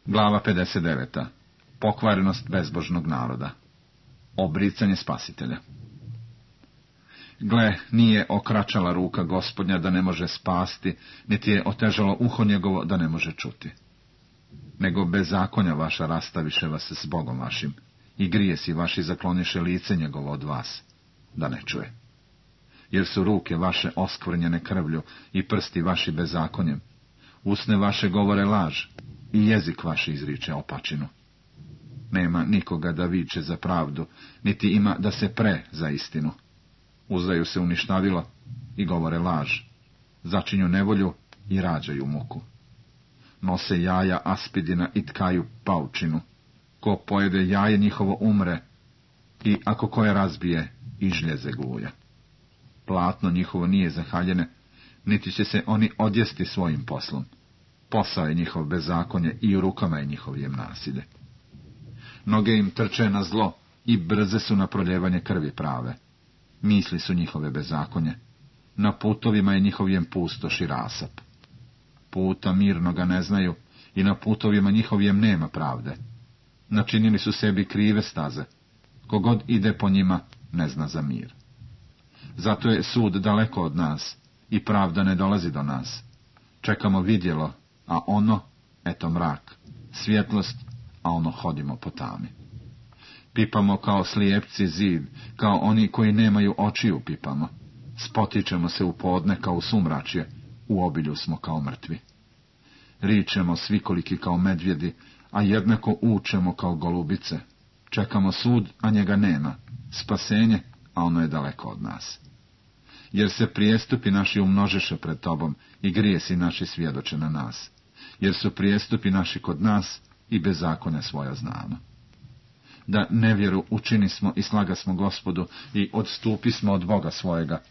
Glava 59. Pokvarenost bezbožnog naroda. Obricanje spasitelja. Gle, nije okračala ruka Gospodnja da ne može spasti, niti je otežalo uho njegovo da ne može čuti. Nego bezakonja vaša rastaviše vas s Bogom vašim, i grijesi vaši zakloniše lice njegovo od vas, da ne čuje. Jer su ruke vaše oskvrnjene krvlju i prsti vaši bezakonjem, usne vaše govore laž i jezik vaš izriče opačinu. Nema nikoga da viče za pravdu, niti ima da se pre za istinu. Uzdaju se uništavilo i govore laž, začinju nevolju i rađaju muku. Nose jaja aspidina i tkaju paučinu. Ko pojede jaje njihovo umre, i ako koje razbije, i žljeze guja. Platno njihovo nije zahaljene, niti će se oni odjesti svojim poslom. Posao je njihov bezakonje i u rukama je njihovijem nasilje. Noge im trče na zlo i brze su na proljevanje krvi prave. Misli su njihove bezakonje. Na putovima je njihovijem pustoš i rasap. Puta mirnoga ne znaju i na putovima njihovijem nema pravde. Načinili su sebi krive staze. Kogod ide po njima ne zna za mir. Zato je sud daleko od nas i pravda ne dolazi do nas. Čekamo vidjelo, a ono, eto mrak, svjetlost, a ono hodimo po tami. Pipamo kao slijepci zid, kao oni koji nemaju očiju pipamo. Spotičemo se u podne kao u sumračje, u obilju smo kao mrtvi. Ričemo svikoliki kao medvjedi, a jednako učemo kao golubice. Čekamo sud, a njega nema, spasenje, a ono je daleko od nas. Jer se prijestupi naši umnožeše pred tobom i grijesi naši svjedoče na nas. Jer su prijestupi naši kod nas i bezakonja svoja znamo. Da nevjeru učinismo i slagasmo Gospodu i odstupismo od Boga svojega.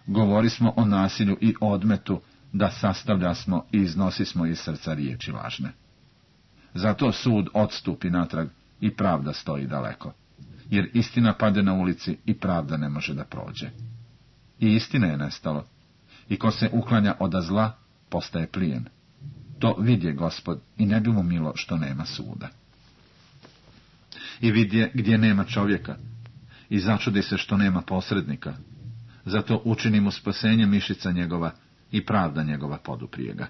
Govorismo o nasilju i odmetu, da sastavljasmo i iznosismo iz srca riječi lažne. Zato sud odstupi natrag i pravda stoji daleko. Jer istina pade na ulici i pravda ne može da prođe. I istine je nestalo. I ko se uklanja od zla, postaje plijen. To vidje Gospod i ne bi mu milo što nema suda. I vidje gdje nema čovjeka i začudi se što nema posrednika. Zato učini mu spasenje mišica njegova i pravda njegova poduprije ga.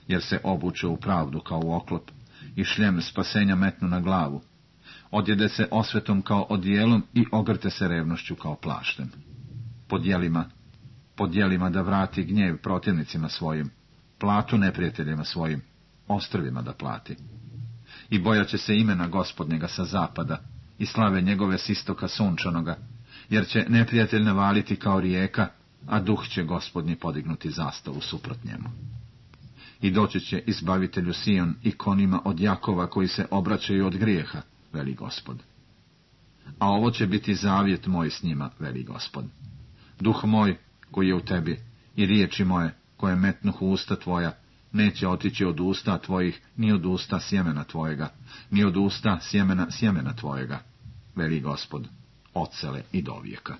Jer se obuče u pravdu kao u oklop i šljem spasenja metnu na glavu. Odjede se osvetom kao odijelom i ogrte se revnošću kao plaštem. Pod jelima da vrati gnjev protivnicima svojim, platu neprijateljima svojim, ostrvima da plati. I bojaće se imena Gospodnjega sa zapada i slave njegove s istoka sunčanoga, jer će neprijatelj navaliti kao rijeka, a duh će Gospodnji podignuti zastavu suprot njemu. I doći će izbavitelju Sion i konima od Jakova koji se obraćaju od grijeha, veli Gospod. A ovo će biti zavjet moj s njima, veli Gospod. Duh moj koji je u tebi i riječi moje koje metnuh u usta tvoja, neće otići od usta tvojih, ni od usta sjemena tvojega, ni od usta sjemena tvojega, veli Gospod, od sele i do vijeka.